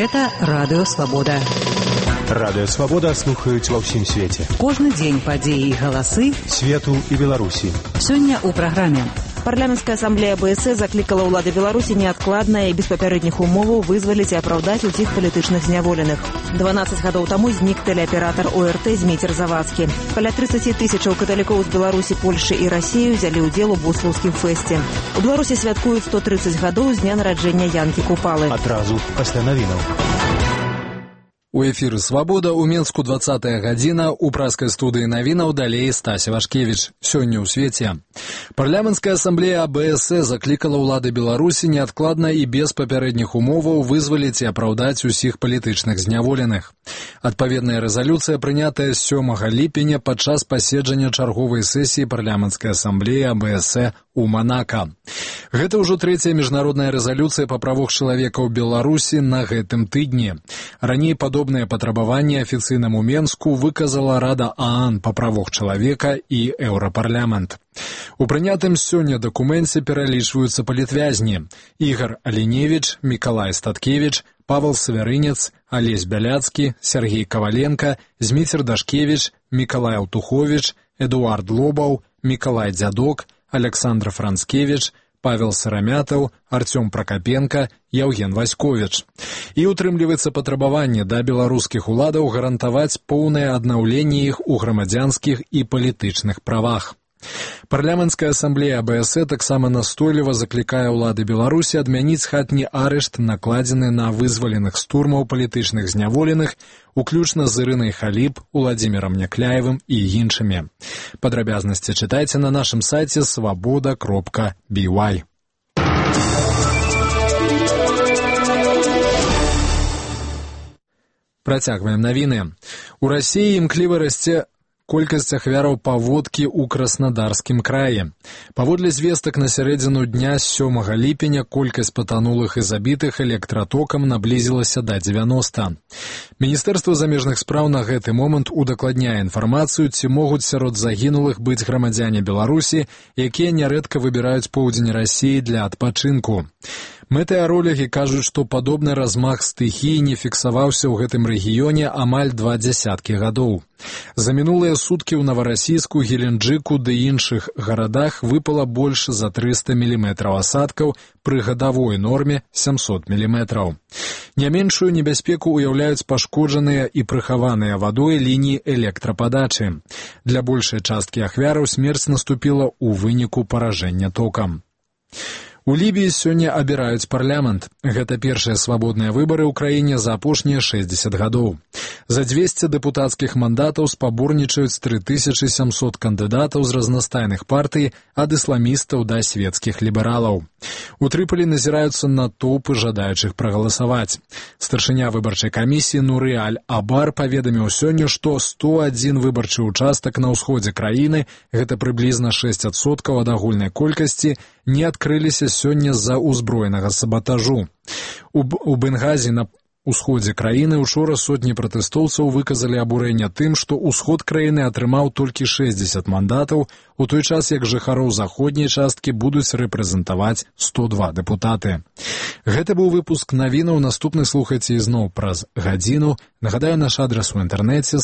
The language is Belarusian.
Гэта Радыё Свабода. Радыё Свабода слухаюць ва ўсім свеце. Кожны дзень падзеі і галасы свету і Беларусі. Сёння ў праграме. Парламенская ассамблея БС закликала ўлады Беларусі неадкладна і без папярэдніх умоваў вызваліць і апраўдаць усіх палітычных зняволеных. 12 гадоў таму знік тэлеаператар ОРТ Зміцер Завадскі. Каля 30 тысячаў каталікоў з Беларусі, Польшы і Расіі ўзялі ўдзел у буслаўскім фэсце. У Беларусі святкуюць 130 гадоў з дня нараджэння Янкі Купалы. Адразу пасля навінаў. У эфіры «Свабода» у Менску 20-я гадзіна, у праскай студыі навінаў далей Стася Вашкевіч. Сёння ў свеце. Парламенская ассамблея АБС заклікала ўлады Беларусі неадкладна і без папярэдніх умоваў вызваліць і апраўдаць усіх палітычных зняволеных. Адпаведная рэзалюцыя прынятая 7 ліпеня падчас паседжання чарговай сесіі парламенскай ассамблеі АБС у Манака. Гэта ўжо трэцяя міжнародная рэзалюцыя па правах чалавека ў Беларусі на гэтым тыдні. Раней падобныя патрабаванні афіцыйнаму Менску выказала Рада ААН па правах чалавека і Еўрапарламент. У прынятым сёння дакуменце пералічваюцца палітвязні: Ігор Аліневіч, Мікалай Статкевіч, Павел Савярынец, Алесь Бяляцкі, Сергей Каваленко, Зміцер Дашкевіч, Мікалай Алтуховіч, Эдуард Лобаў, Мікалай Дзядок, Александр Францкевіч, Павел Сарамятаў, Артём Пракапенко, Яўген Васьковіч. І утрымліваецца патрабаванне да беларускіх уладаў гарантаваць поўнае аднаўленне іх у грамадзянскіх і палітычных правах. Парламенская ассамблея АБС таксама настойліва заклікае ўлады Беларусі адмяніць хатні арышт, накладзены на вызваленых з турмаў палітычных зняволеных, уключна з Ірынай Халіп, Уладзімірам Някляевым і іншымі. Падрабязнасці чытайце на нашым сайце svoboda.by. Працягваем навіны. У Расіі імкліва расце колькасць ахвяраў паводкі ў Краснадарскім краі. Паводле звестак на сярэдзіну дня 7 ліпеня колькасць патанулых і забітых электратокам наблізілася да 90. Міністэрства замежных спраў на гэты момант удакладняе інфармацыю, ці могуць сярод загінулых быць грамадзяне Беларусі, якія нярэдка выбіраюць поўдзень Расіі для адпачынку. Метэаролагі кажуць, што падобны размах стыхіі не фіксаваўся ў гэтым рэгіёне амаль 20 гадоў. За мінулыя суткі ў Наварасійску, Геленджыку ды іншых гарадах выпала больш за 300 мм асадкаў пры гадавой норме 700 мм. Не меншую небяспеку ўяўляюць пашкоджаныя і прыхаваныя вадой лініі электрападачы. Для большай часткі ахвяраў смерць наступіла ў выніку паражэння токам. У Лібіі сёння абіраюць парламент. Гэта першыя свабодныя выбары ў краіне за апошнія 60 гадоў. За 200 дэпутацкіх мандатаў спаборнічаюць 3700 кандыдатаў з разнастайных партый, ад ісламістаў да свецкіх лібералаў. У Трыполі назіраюцца натоўпы жадаючых прагаласаваць. Старшыня выбарчай камісіі Нуры Аль-Абар паведаміў сёння, што 101 выбарчы участак на ўсходзе краіны, гэта прыблізна 6% ад агульнай колькасці, не адкрыліся сёння з-за ўзброенага сабатажу. У Бенгазі на ўсходзе краіны учора сотні пратэстоўцаў выказалі абурэнне тым, што ўсход краіны атрымаў толькі 60 мандатаў, у той час як жыхароў заходняй часткі будуць рэпрэзентаваць 102 дэпутаты. Гэта быў выпуск навінаў, наступны слухайце ізноў праз гадзіну. Нагадаю, наш адрас у інтэрнэце